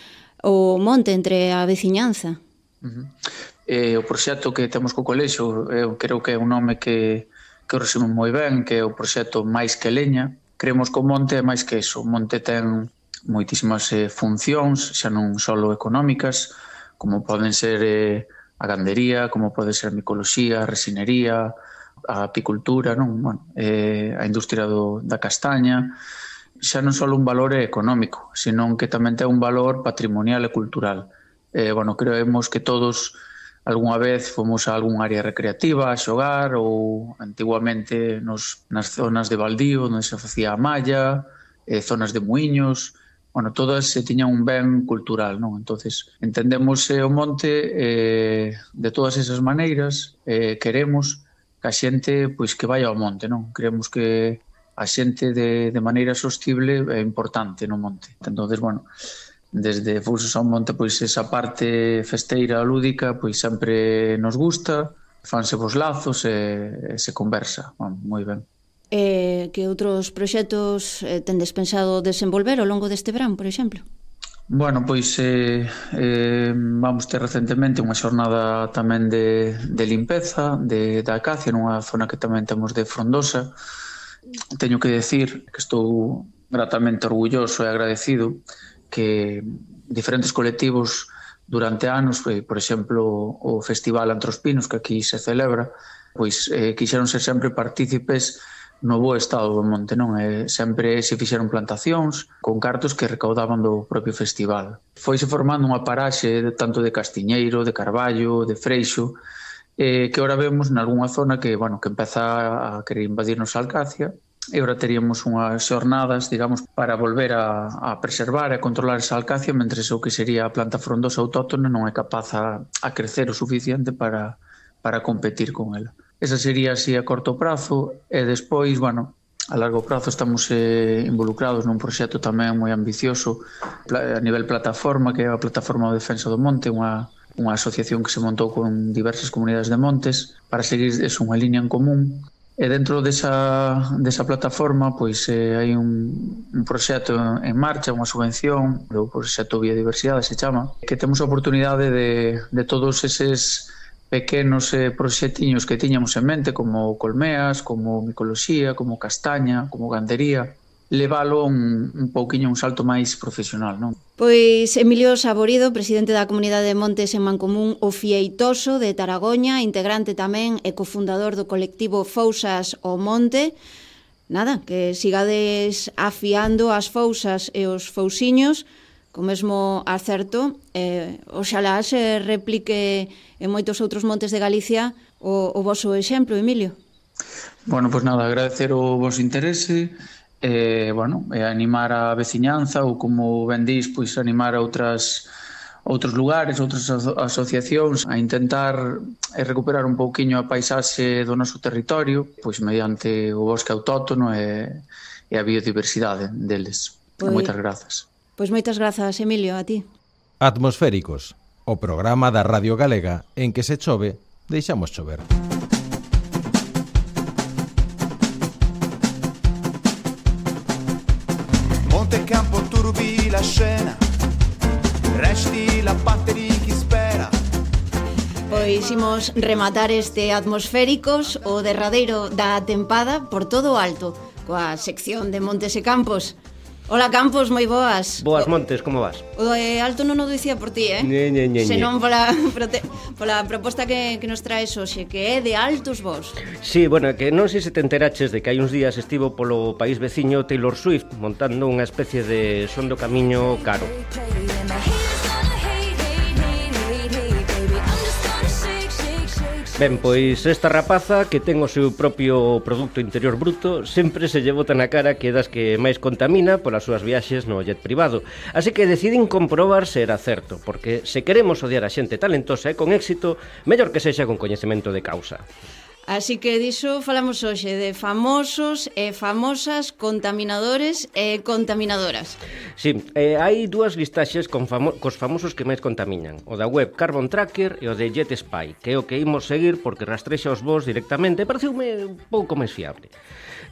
o monte entre a veciñanza. O proxecto que temos co colexio, eu creo que é un nome que o resume moi ben, que é o proxecto Máis que Leña. Creemos que o monte é máis que iso. O monte ten moitísimas funcións, xa non só económicas, como poden ser a gandería, como pode ser a micoloxía, a resinería, a apicultura, non? Bueno, a industria da castaña. Xa non só un valor económico, senón que tamén ten un valor patrimonial e cultural. Bueno, creemos que todos algunha vez fomos a algún área recreativa a xogar ou antiguamente nas zonas de baldío onde se facía a malla, zonas de muiños, bueno, todas tiñan un ben cultural, non? Entonces, entendemos o monte de todas esas maneiras, queremos que a xente pois que vai ao monte, non? Creemos que a xente de maneira sostible é importante no monte. Entonces, bueno, desde Fousos ao monte, pois esa parte festeira lúdica, pois sempre nos gusta, fanse vos lazos e se conversa, bueno, moi ben. Que outros proxectos tendes pensado desenvolver ao longo deste verán, por exemplo? Bueno, pois vamos ter recentemente unha xornada tamén de limpeza da acacia nunha zona que tamén temos de frondosa. Teño que decir que estou gratamente orgulloso e agradecido que diferentes colectivos durante anos, por exemplo, o Festival Entre os Pinos, que aquí se celebra, pois quixeron ser sempre partícipes no bo estado do monte, non? Sempre se fixeron plantacións con cartos que recaudaban do propio festival. Foise formando unha paraxe tanto de castiñeiro, de carballo, de freixo, que ora vemos nalgúnha zona que, bueno, que empeza a querer invadirnos a alcacia, e ora teríamos unhas xornadas, digamos, para volver a preservar e a controlar esa alcacia, mentres o que sería a planta frondosa autóctona non é capaz a crecer o suficiente para competir con ela. Esa sería así a corto prazo, e despois, bueno, a largo prazo estamos involucrados nun proxecto tamén moi ambicioso a nivel plataforma, que é a Plataforma de Defensa do Monte, unha asociación que se montou con diversas comunidades de montes para seguir unha liña en común. E dentro desa plataforma pois hai un proxecto en marcha, unha subvención, o proxecto Biodiversidade se chama, que temos a oportunidade de todos eses pequenos proxectiños que tiñamos en mente, como colmeas, como micoloxía, como castaña, como gandería, leválo un pouquiño un salto máis profesional, non? Pois Emilio Saborido, presidente da Comunidade de Montes en Mancomún o Fieitoso de Taragoña, integrante tamén e cofundador do colectivo Fousas ao Monte. Nada, que sigades afiando as fousas e os fousiños co mesmo acerto, oxalá se replique en moitos outros montes de Galicia o voso exemplo, Emilio. Bueno, pois nada, agradecer o vosso interese, bueno, animar a veciñanza ou, como ben dís, pois animar a outros lugares, outras asociacións a intentar recuperar un pouquiño a paisaxe do noso territorio, pois mediante o bosque autóctono e a biodiversidade deles. Moitas grazas. Pois moitas grazas, Emilio, a ti. Atmosféricos, o programa da Radio Galega en que se chove, deixamos chover. Campo turbi la scena, resti la parte di chi spera. Pois imos rematar este Atmosféricos, o derradeiro da tempada, por todo o alto, coa sección de Montes e Campos. Hola Campos, moi boas. Boas, Montes, como vas? O alto non o dicía por ti, senón pola proposta que nos traes hoxe, que é de altos vos. Sí, bueno, que non sei se te enteraches de que hai uns días estivo polo país veciño Taylor Swift montando unha especie de son do camiño caro. Ben, pois esta rapaza que ten o seu propio Producto Interior Bruto sempre se lle bota na cara que é das que máis contamina polas súas viaxes no jet privado. Así que decidín comprobar se era certo, porque se queremos odiar a xente talentosa e con éxito, mellor que sexa con coñecemento de causa. Así que diso falamos hoxe de famosos e famosas contaminadores e contaminadoras. Sí, hai dúas listaxes cos famosos que máis contaminan. O da web Carbon Tracker e o de Jet Spy, que é o que imos seguir porque rastrexa os voos directamente e pareceume un pouco máis fiable.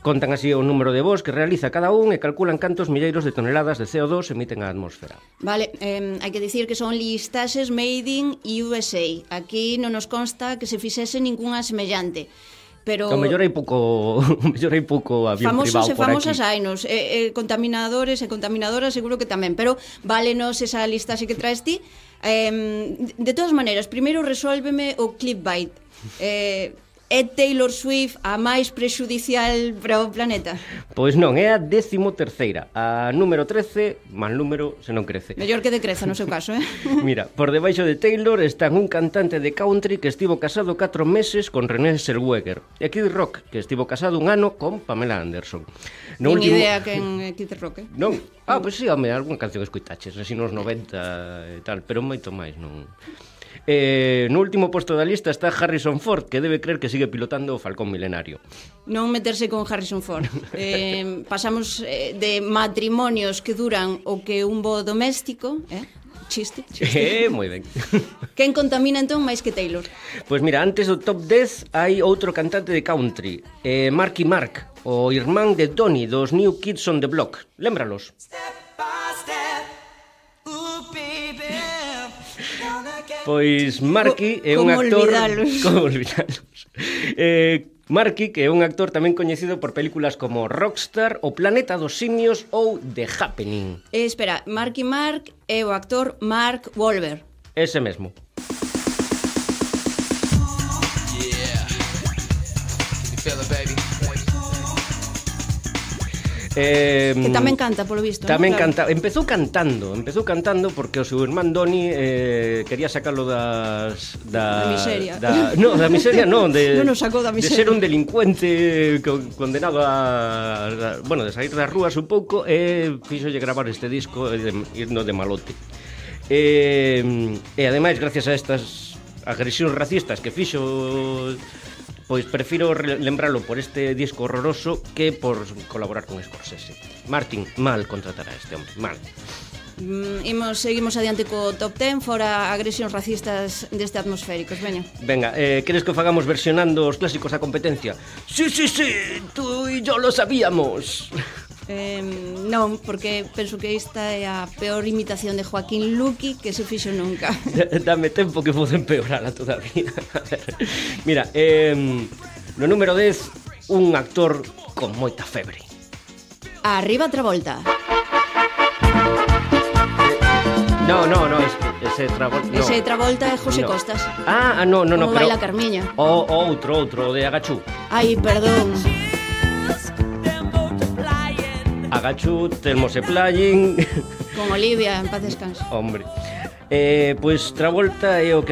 Contan así o número de voos que realiza cada un e calculan cantos milleiros de toneladas de CO2 emiten á atmosfera. Vale, hai que dicir que son listaxes made in USA. Aquí non nos consta que se fixese ningunha semellante. Pero o mellor hai pouco avión privado por aquí. Famosos e famosas hainos, contaminadores e contaminadoras seguro que tamén, pero válenos esa listaxe que traes ti. De todas maneiras, primeiro resuélveme o clickbait. É Taylor Swift a máis prexudicial para o planeta? Pois non, é a 13ª, a número 13, mal número se non crece. Mellor que decreza no seu caso, Mira, por debaixo de Taylor están un cantante de country que estivo casado 4 meses con René Zellweger e Kid Rock, que estivo casado un ano con Pamela Anderson. Nin idea quen é Kid Rock, Non? Pois sí, home, algunha canción escuitaches, así nos 90 e tal, pero moito máis non... No último posto da lista está Harrison Ford, que debe creer que sigue pilotando o Falcón Milenario. Non meterse con Harrison Ford. Pasamos de matrimonios que duran o que un voo doméstico, chiste. Moi ben. Quen contamina entón máis que Taylor? Pois mira, antes do top 10 hai outro cantante de country, Marky Mark, o irmán de Donny dos New Kids on the Block. Lémbralos. Pois Marky é un actor... Como olvidalos? Marky, que é un actor tamén coñecido por películas como Rockstar, O Planeta dos Simios ou The Happening. Espera, Marky Mark é o actor Mark Wahlberg. Ese mesmo. Que tamén canta, polo visto. Tamén canta, empezou cantando porque o seu irmán Donny quería sacalo da miseria. No, da miseria non, non nos sacou da miseria. De ser un delincuente condenado a de sair das rúas un pouco e fixolle gravar este disco irno de malote. E ademais, gracias a estas agresións racistas que fixo, pois prefiro lembralo por este disco horroroso que por colaborar con Scorsese. Martin, mal contratar a este hombre, mal. Seguimos adiante co top 10 fora agresións racistas deste Atmosféricos, veña. Venga, queres que o fagamos versionando os clásicos da competencia? Sí, tú e yo lo sabíamos. Non, porque penso que esta é a peor imitación de Joaquín Luqui que se fixo nunca. Dame tempo que vou empeorala todavía. Mira, no número 10, un actor con moita febre. Arriba Travolta. No, ese Travolta. No. Ese Travolta é José Costas. No, como pero... baila Carmiña. Outro, de Agachú. Ai, perdón. Agachú, Telmose Playing. Con Olivia, en paz descanso. Hombre. Pois Travolta é o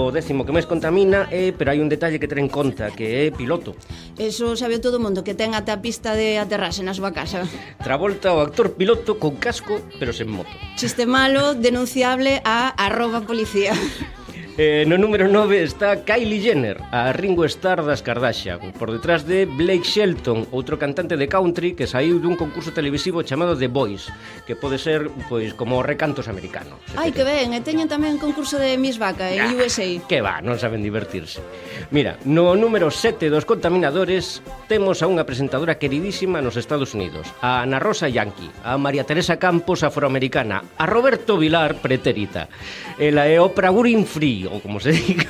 décimo que máis contamina, pero hai un detalle que ter en conta, que é piloto. Eso sabe todo o mundo, que ten ata a pista de aterraxe na súa casa. Travolta, o actor piloto con casco, pero sen moto. Chiste malo, denunciable a @policía. No número 9 está Kylie Jenner, a Ringo Starr das Kardashian, por detrás de Blake Shelton, outro cantante de country que saiu dun concurso televisivo chamado The Voice, que pode ser, pois, como recantos americanos. Ai, que ben, e teñen tamén concurso de Miss Vaca en USA. Que va, non saben divertirse. Mira, no número 7 dos contaminadores temos a unha presentadora queridísima nos Estados Unidos, a Ana Rosa Yankee, a María Teresa Campos afroamericana, a Roberto Vilar pretérita. Ela é Oprah Winfrey, ou como se diga,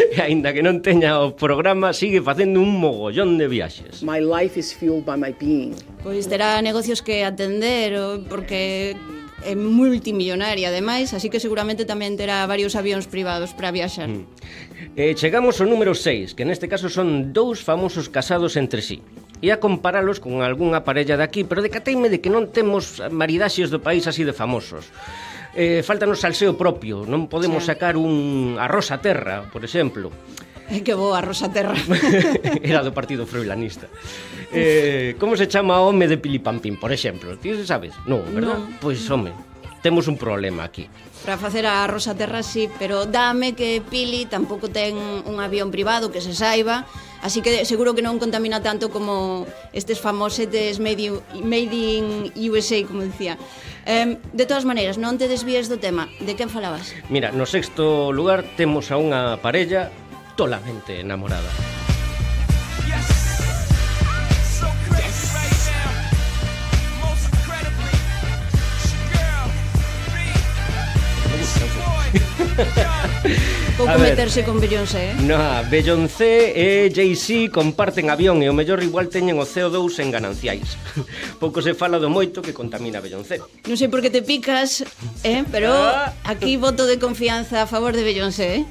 e aínda que non teña o programa, sigue facendo un mogollón de viaxes. My life is fueled by my being. Pois terá negocios que atender, porque é multimillonaria ademais, así que seguramente tamén terá varios avións privados para viaxar. Chegamos ao número 6, que neste caso son dous famosos casados entre sí. E a comparalos con algunha parella daqui, pero decateime de que non temos maridaxes do país así de famosos. Faltanos salseo propio, non podemos sacar un arroz a terra, por exemplo. Que boa, Rosa Terra. Era do partido froilanista. Como se chama o home de Pilipampín, por exemplo? Ti sabes? Non, verdad? Pois, home, temos un problema aquí. Para facer a Rosa Terra, sí, pero dame que Pili tampouco ten un avión privado que se saiba, así que seguro que non contamina tanto como estes famosetes made in USA, como dicía. De todas maneiras, non te desvíes do tema. De quen falabas? Mira, no sexto lugar temos a unha parella tolamente enamorada. Pouco meterse con Beyoncé, No, Beyoncé e Jay-Z comparten avión e o mellor igual teñen o CO2 en gananciais. Pouco se fala do moito que contamina Beyoncé. Non sei por que te picas, pero aquí voto de confianza a favor de Beyoncé,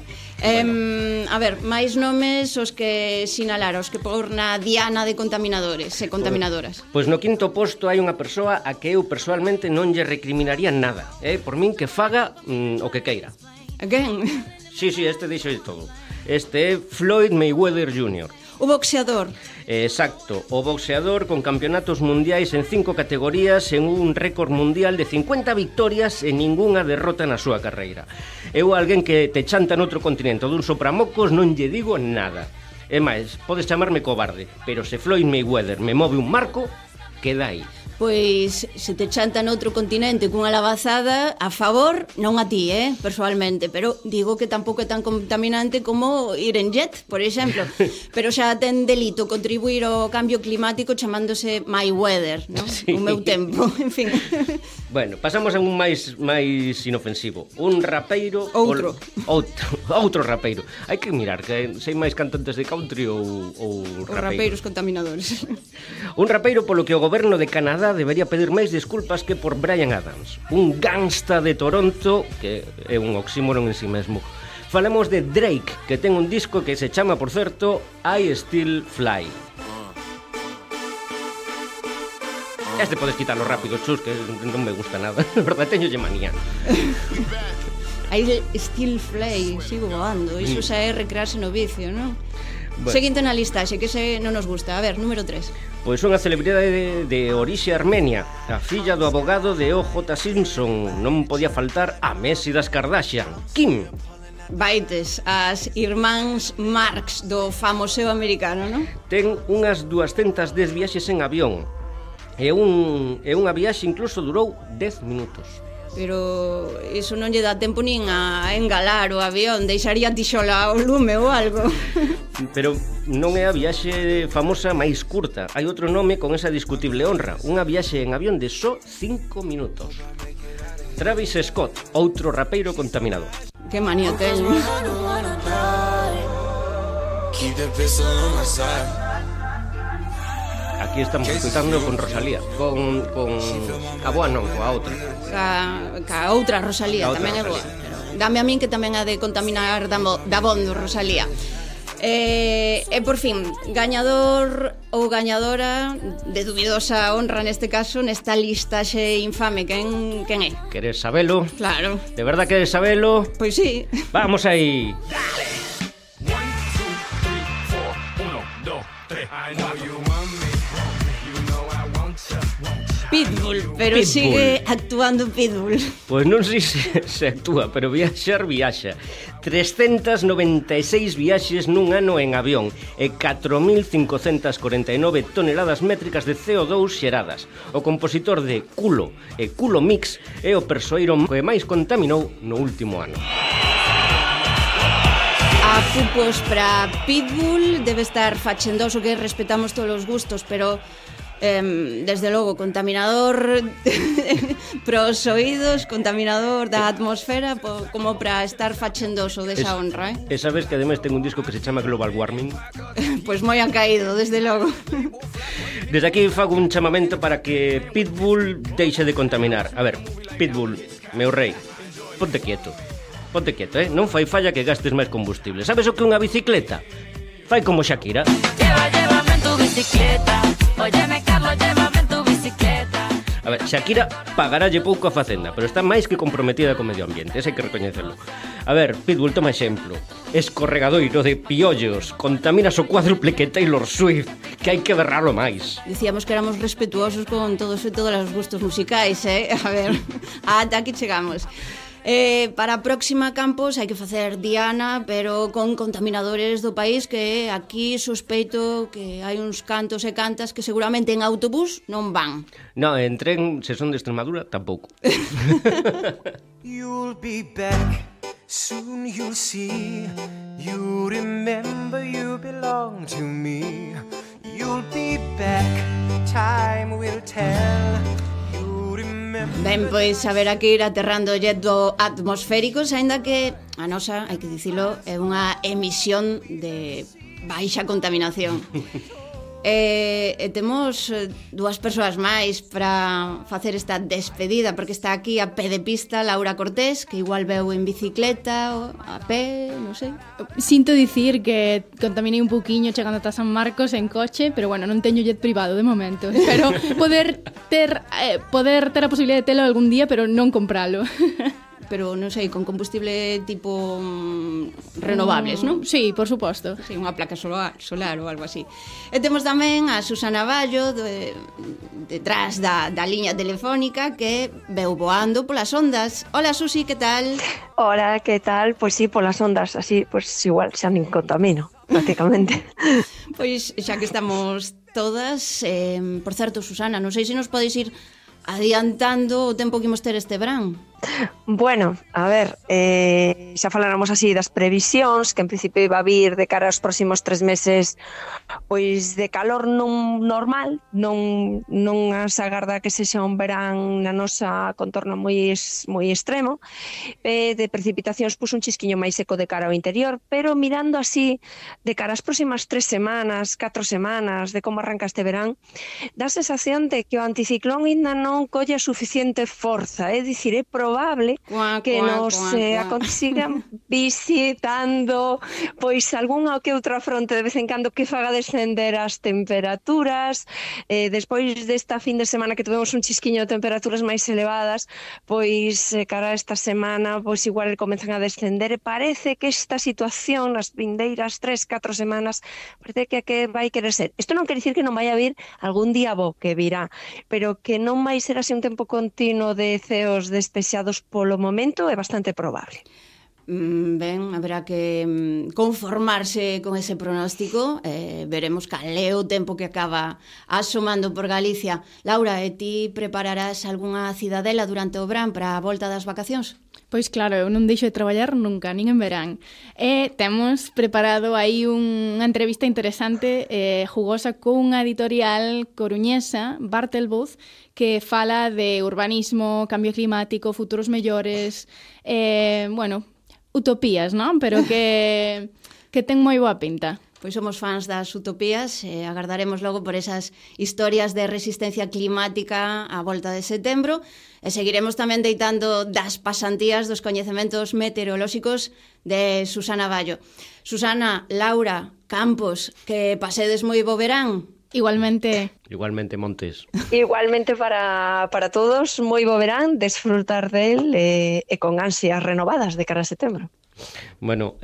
A ver, máis nomes os que sinalar, os que por na diana de contaminadores e contaminadoras. Pois no quinto posto hai unha persoa a que eu persoalmente non lle recriminaría nada, por min que faga o que queira. A quen? Sí, este dixo de todo. Este é Floyd Mayweather Jr. O boxeador. Exacto, o boxeador con campeonatos mundiais en 5 categorías en un récord mundial de 50 victorias e ningunha derrota na súa carreira. Eu alguén que te chanta noutro continente dun sopramocos non lle digo nada. É máis, podes chamarme cobarde, pero se Floyd Mayweather me move un marco, queda aí. Pois se te chanta noutro continente cunha lavazada, a favor, non a ti, persoalmente, pero digo que tampouco é tan contaminante como ir en jet, por exemplo. Pero xa ten delito contribuir ao cambio climático chamándose Mayweather, non? Sí. O meu tempo, en fin. Bueno, pasamos a un máis inofensivo. Un rapeiro... Outro rapeiro. Hai que mirar, que sei máis cantantes de country ou rapeiros. Os rapeiros contaminadores. Un rapeiro polo que o goberno de Canadá debería pedir máis disculpas que por Bryan Adams, un gangsta de Toronto que é un oxímoron en si mesmo. Falamos de Drake, que ten un disco que se chama, por certo, I Still Fly. Este podes quitarlo rápido, chus, que non me gusta nada. Na verdade, teñolle manía. I Still Fly, sigo voando. Iso xa é recrearse no vicio, non? Bueno. Seguinte na listaxe, que ese non nos gusta. A ver, número 3. Pois unha celebridade de orixe armenia, a filla do abogado de O.J. Simpson. Non podía faltar a Messi das Kardashian, Kim. Baites, as irmáns Marx do famoseo americano, non? Ten unhas 210 viaxes en avión. E unha viaxe incluso durou 10 minutos. Pero iso non lle dá tempo nin a engalar o avión, deixaría tixola o lume ou algo. Pero non é a viaxe famosa máis curta. Hai outro nome con esa discutible honra, unha viaxe en avión de só 5 minutos. Travis Scott, outro rapeiro contaminador. Que manía teño. Aquí estamos escutando con Rosalía, con a boa non, coa outra. Ca outra Rosalía, outra tamén Rosalía. é boa. Dame a min que tamén ha de contaminar da bondo Rosalía. E por fin, gañador ou gañadora de dubidosa honra neste caso, nesta listaxe infame, quen é? Queres sabelo? Claro. De verdad queres sabelo? Pois sí. Vamos aí. Dale. 1, 2, 3, 4, 1, 2, 3. I know you want me. You know I want you. Pitbull, pero Pitbull. sigue actuando Pitbull. Pois non sei se actúa, pero viaxa. 396 viaxes nun ano en avión e 4.549 toneladas métricas de CO2 xeradas. O compositor de Culo e Culo Mix é o persoeiro que máis contaminou no último ano. A pupos para Pitbull debe estar fachendoso, que respetamos todos os gustos, pero desde logo contaminador pros oídos, contaminador da atmosfera, como para estar fachendoso desa honra, E sabes que ademais ten un disco que se chama Global Warming? Pois moi han caído, desde logo. Desde aquí fago un chamamento para que Pitbull deixe de contaminar. A ver, Pitbull, meu rei, ponte quieto, non fai falla que gastes máis combustible. Sabes o que é unha bicicleta? Fai como Shakira. Llévame en tu bicicleta. Óyeme, Carlos, llévame en tu bicicleta. A ver, Shakira pagaralle pouco a Facenda, pero está máis que comprometida co medio ambiente, ese hai que recoñecelo. A ver, Pitbull, toma exemplo. escorregadoiro de piollos, contaminas o cuádruple que Taylor Swift, que hai que berralo máis. Dicíamos que éramos respetuosos con todos e todos os gustos musicais, A ver, ata aquí chegamos. Para a próxima, Campos, hai que facer diana, pero con contaminadores do país, que aquí sospeito que hai uns cantos e cantas que seguramente en autobús non van. No, en tren, se son de Extremadura, tampouco. You'll be back, soon you'll see. You remember you belong to me. You'll be back, time will tell. Ben, pois haberá que ir aterrando o jet do atmosféricos, aínda que a nosa, hai que dicilo, é unha emisión de baixa contaminación. Temos dúas persoas máis para facer esta despedida, porque está aquí a pé de pista Laura Cortés, que igual veu en bicicleta ou a pé, non sei. Sinto dicir que contaminei un pouquiño chegando ata San Marcos en coche, pero bueno, non teño jet privado de momento. Espero poder ter a posibilidade de telo algún día, pero non compralo. Pero non sei, con combustible tipo renovables, non? Sí, por suposto. Sí, unha placa solar ou algo así. E temos tamén a Susana Vallo detrás da liña telefónica, que veu voando polas ondas. Hola, Susi, que tal? Hola, que tal? Pois sí, polas ondas, así, pois igual xa nin contamino, prácticamente. Pois xa que estamos todas, por certo, Susana, non sei se nos podes ir adiantando o tempo que imos ter este verán. Bueno, a ver, xa faláramos así das previsións, que en principio iba a vir de cara aos próximos 3 meses pois de calor non normal, non as agarda que sexa un verán na nosa contorno moi extremo, de precipitacións puxo un chisquiño máis seco de cara ao interior, pero mirando así de cara ás próximas 3 semanas, 4 semanas de como arranca este verán, dá a sensación de que o anticiclón ainda non colle suficiente forza, é dicir, é probable que nos consigan visitando pois algunha ou que outra fronte de vez en cando que faga descender as temperaturas. Despois desta fin de semana que tuvemos un chisquiño de temperaturas máis elevadas, pois cara a esta semana pois igual comezan a descender, e parece que esta situación nas vindeiras 3-4 semanas parece que vai querer ser. Isto non quere dicir que non vai haber algún día bo que virá, pero que non vai ser así un tempo continuo de ceos despexados polo momento é bastante probable. Ben, haberá que conformarse con ese pronóstico. Veremos cal é o tempo que acaba asomando por Galicia. Laura, e ti prepararás algunha cidadela durante o verán para a volta das vacacións? Pois claro, eu non deixo de traballar nunca, nin en verán. E temos preparado aí unha entrevista interesante, jugosa, cunha editorial coruñesa, Bartelbooth, que fala de urbanismo, cambio climático, futuros mellores, utopías, non? Pero que ten moi boa pinta. Pois somos fans das utopías, agardaremos logo por esas historias de resistencia climática á volta de setembro, e seguiremos tamén deitando das pasantías dos coñecementos meteorolóxicos de Susana Vallo. Susana, Laura, Campos, que pasedes moi bo verán. Igualmente. Igualmente, Montes. Igualmente para todos, moi bo verán, desfrutar del e con ansias renovadas de cara a setembro. Bueno,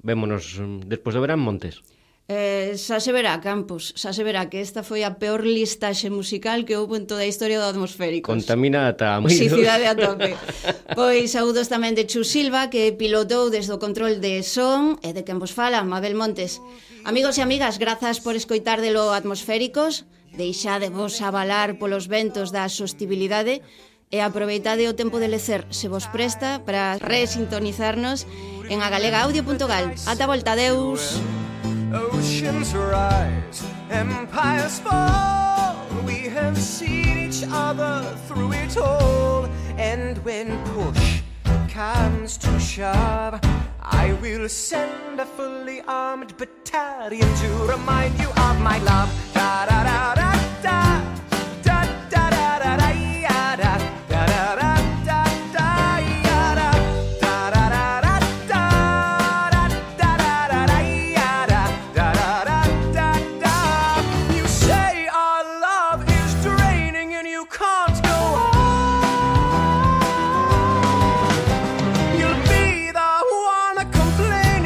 vémonos despois do verán, Montes. Xa se verá, Campos, xa se verá que esta foi a peor listaxe musical que houve en toda a historia do Atmosféricos. Contamina ata moitos. Toxicidade a tope. Pois saúdos tamén de Chu Silva, que pilotou desde o control de son, e de quen vos fala, Mabel Montes. Amigos e amigas, grazas por escoitar de lo Atmosféricos, deixadevos avalar polos ventos da sostibilidade, e aproveitade o tempo de lecer, se vos presta, para resintonizarnos en agalegaudio.gal. Ata volta, adeus. Oceans rise, empires fall. We have seen each other through it all. And when push comes to shove, I will send a fully armed battalion to remind you of my love. Da da da da da. Complaining